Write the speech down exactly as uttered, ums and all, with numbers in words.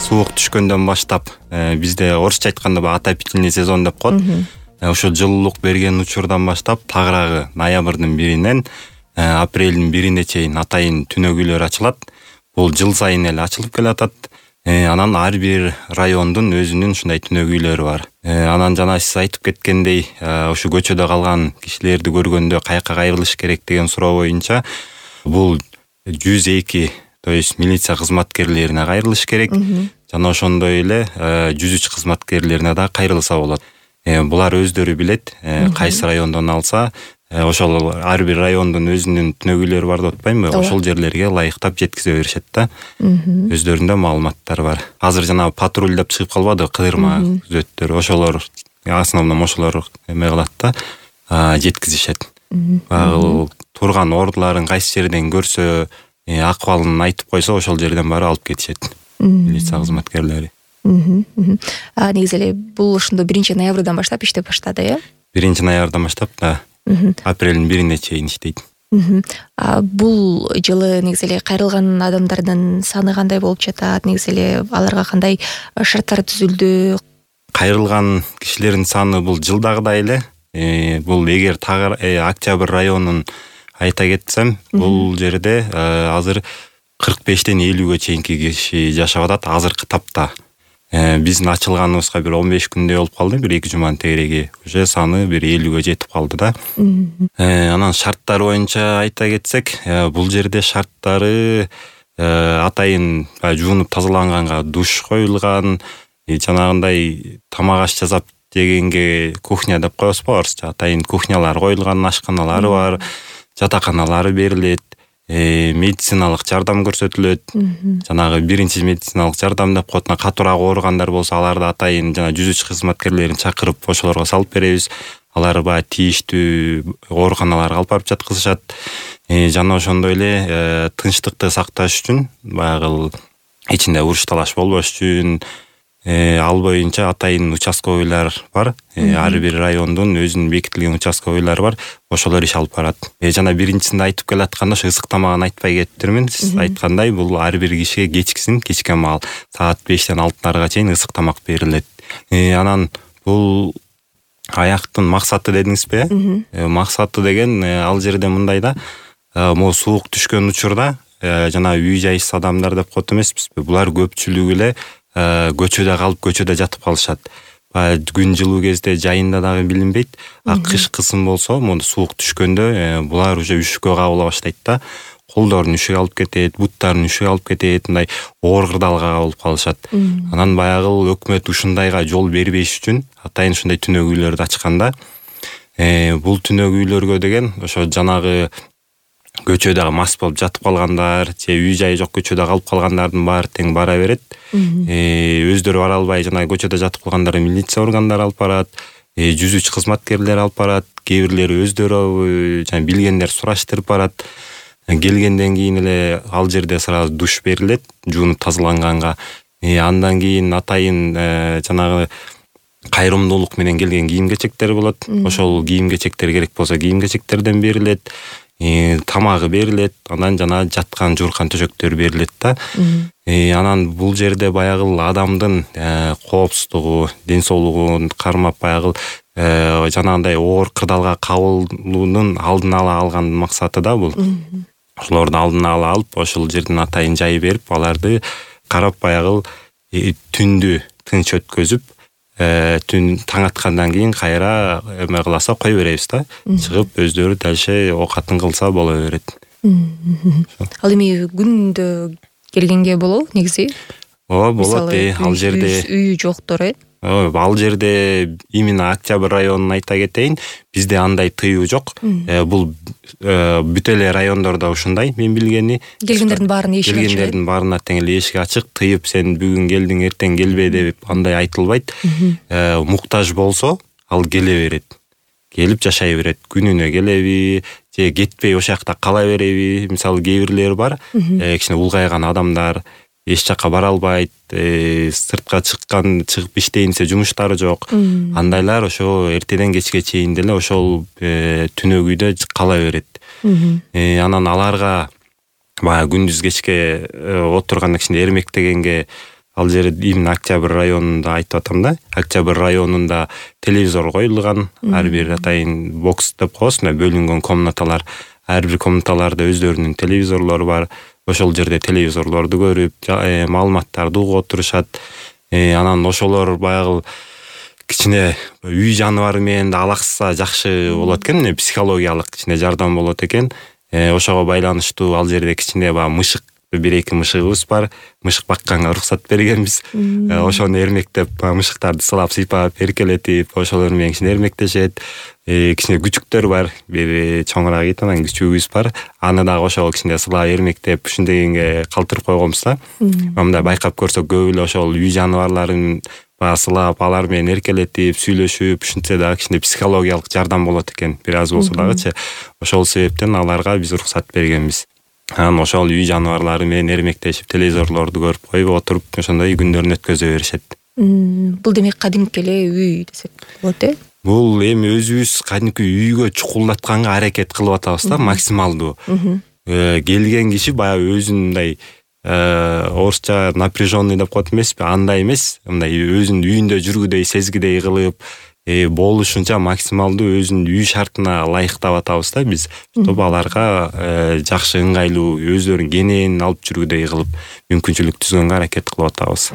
суук түшкөндөн баштап бизде орусча айтканда баягы отопительный сезон деп коет. Ошо жылуулук берген учурдан баштап тагыраагы ноябрдын биринен апрелдин бирине чейин атайын түнөгүйлөр ачылат. Бул жыл сайын эле ачылып келатат. Анан ар бир райондун өзүнүн ушундай түнөгүйлөрү бар. Анан жана сиз айтып кеткендей, ушу көчөдө калган кишилерди көргөндө каяка кайрылыш керек деген суроо боюнча бул жүз эки, то есть милиция кызматкерлерине кайрылыш керек. Жана ошондой эле жүз үч кызматкерлерине да кайрылса болот. Булар өздөрү билет, кайсы райондон алса, ошол ар бир райондун өзүнүн түнөгүйлөрү бар деп атпаймынбы? Ошол жерлерге ылайыктап жеткизе беришет да. Өздөрүндө маалыматтар бар. Азыр жана патруль деп чыгып калбады, кыдырма күзөттөр. Ошолор основном ошолор эме кылат да, жеткизишет. Ал турган ордуларын кайсы жерден көрсө, акыбалын айтып койсо, ошол жерден бары алып кетишет милиция кызматкерлери. А негизи эле бул ошондо биринчи ноябрдан баштап иштеп баштады, э? биринчи ноябрдан баштап да. Апрелдин бирине чейин иштейт. А бул жылы негизи эле кайрылган адамдардын саны кандай болуп жатат? Негизи эле аларга кандай шарттар түзүлдү? Кайрылган кишилердин саны бул жылдагыдай эле. Бул эгер Октябрь районун айта кетсем, бул жерде азыр кырк бештен элүүгө чейинки киши жашап атат азыркы тапта. Биздин ачылганыбызга бир он беш күндөй болуп калды, бир эки жуманын тегереги. Уже саны бир элүүгө жетип калды да. Анан шарттар боюнча айта кетсек, бул жерде шарттары атайын жуунуп тазаланганга душ коюлган, жанагындай тамак аш жасап дегенге кухня деп коебузбу, орусча атайын кухнялар коюлган, ашканалары бар, жатаканалары берилет. Медициналык жардам көрсөтүлөт. Жанагы биринчи медициналык жардам деп коет. Катуураак ооругандар болсо, аларды атайын жана жүз үч кызматкерлерин чакырып, ошолорго салып беребиз. Алар баягы тийиштүү ооруканаларга алып барып жаткызышат. Жана ошондой эле тынчтыкты сакташ үчүн, баягы ичинде уруш талаш болбош үчүн ал боюнча атайын участковыйлар бар. Ар бир райондун өзүнүн бекитилген участковыйлары бар. Ошолор иш алып барат. Жана биринчисинде айтып келатканда ошо ысык тамагын айтпай кетиптирмин. Сиз айткандай, бул ар бир кишиге кечкисин, кечке маал саат бештен алтыларга чейин ысык тамак берилет. Анан бул аяктын максаты дедиңизби, э? Максаты деген ал жерде мындай да, могу суук түшкөн учурда жана үй жайсыз адамдар деп коет эмеспизби? Булар көпчүлүгү эле көчөдө калып, көчөдө жатып калышат. Күн жылуу кезде жайында дагы билинбейт. А кыш кысым болсо, мону суук түшкөндө булар уже үшүккө кабыла баштайт да. Колдорун үшүк алып кетет, буттарын үшүк алып кетет, мындай оор кырдаалга кабылып калышат. Анан баягы өкмөт ушундайга жол бербеш үчүн атайын ушундай түнөгүйлөрдү ачканда, бул түнөгүйлөргө деген ошо жанагы көчөдө мас болуп жатып калгандар, же үй жайы жок көчөдө калып калгандардын баары тең бара берет. Өздөрү бара албай жана көчөдө жатып калгандарды милиция органдары алып барат, жүз үч кызматкерлери алып барат, кээ бирлери өздөрү жана билгендер сураштырып барат. Келгенден кийин эле ал жерде сразу душ берилет, жуунуп тазаланганга. Андан кийин атайын жанагы кайрымдуулук менен келген кийим-кечектер болот. Ошол кийим-кечектер керек болсо кийим-кечектерден берилет. Тамагы берилет, анан жана жаткан жууркан төшөктөр берилет да. Анан бул жерде баягы адамдын коопсуздугу, ден соолугун кармап, баягы жанагындай оор кырдаалга кабылуунун алдын ала алган максаты да бул. Ошолорду алдын ала алып, ошол жерден атайын жай берип, аларды карап баягы түндү тынч өткөзүп, түн таң аткандан кийин кайра эме кыласа кой беребиз да. Чыгып өздөрү дальше оокатын кылса боло берет. Ал эми күндө келгенге болобу негизи? Ооба, болот. Ал жерде үйү жоктор, э? Ал жерде именно Октябрь районун айта кетейин, бизде андай тыюу жок. Бул бүт эле райондордо ушундай, мен билгени. Келгендердин баарына эшик ачык. Келгендердин баарына тең эле эшик ачык, тыйып сен бүгүн келдиң, эртең келбе деп андай айтылбайт. Муктаж болсо, ал келе берет. Келип жашай берет. Күнүнө келеби, же кетпей ошол жакта кала береби? Мисалы кээ бирлери бар, кичине улгайган адамдар эч жакка бара албайт, сыртка чыккан, чыгып иштейин десе жумуштары жок. Андайлар ошо эртеден кечке чейин деле ошол түнөгүйдө кала берет. Анан аларга баягы күндүз кечке отурганда кичине эрмектегенге ал жерде именно Октябрь районунда айтып атам да. Октябрь районунда телевизор коюлган. Ар бир атайын бокс деп коебуз, мына бөлүнгөн комнаталар. Ар бир комнаталарда өздөрүнүн телевизорлору бар. Ошол жерде телевизорлорду көрүп, маалыматтарды угуп отурушат. Анан ошолор баягы кичине үй жаныбары менен да алаксса жакшы болот экен, эмне психологиялык кичине жардам болот экен. Ошого байланыштуу ал жерде кичине баягы мышык, бир эки мышыгыбыз бар. Мышык бакканга уруксат бергенбиз. Ошону эрмектеп, мышыктарды сылап, сыйпап, эркелетип, ошолор менен кичине эрмектешет. Кичине күчүктөр бар, бир чоңураак ит, анан күчүгүбүз бар. Аны дагы ошол кичине сылап эрмектеп, ушундегенге калтырып койгонбуз да. Мындай байкап көрсөк көп эле ошол үй жаныбарларын баягы сылап, алар менен эркелетип, сүйлөшүп, ушинтсе дагы кичине психологиялык жардам болот экен, бир аз болсо дагычы. Ошол себептен аларга биз уруксат бергенбиз. Анан ошол үй жаныбарлары менен эрмектешип, телевизорлорду көрүп коюп отуруп, ошондой күндөрүн өткөзө беришет. Бул демек кадимки эле үй десек болот э? Бул эми өзүбүз кадимки үйгө чукулдатканга аракет кылып атабыз да, максималдуу. Келген киши баягы өзүн мындай орусча напряженный деп коет эмеспи, андай эмес, мындай өзүнүн үйүндө жүргүдөй, сезгидей кылып, болушунча максималдуу өзүнүн үй шартына ылайыктап атабыз да биз. Чтобы аларга жакшы, ыңгайлуу, өздөрүнүн кенен алып жүргүдөй кылып мүмкүнчүлүк түзгөнгө аракет кылып атабыз.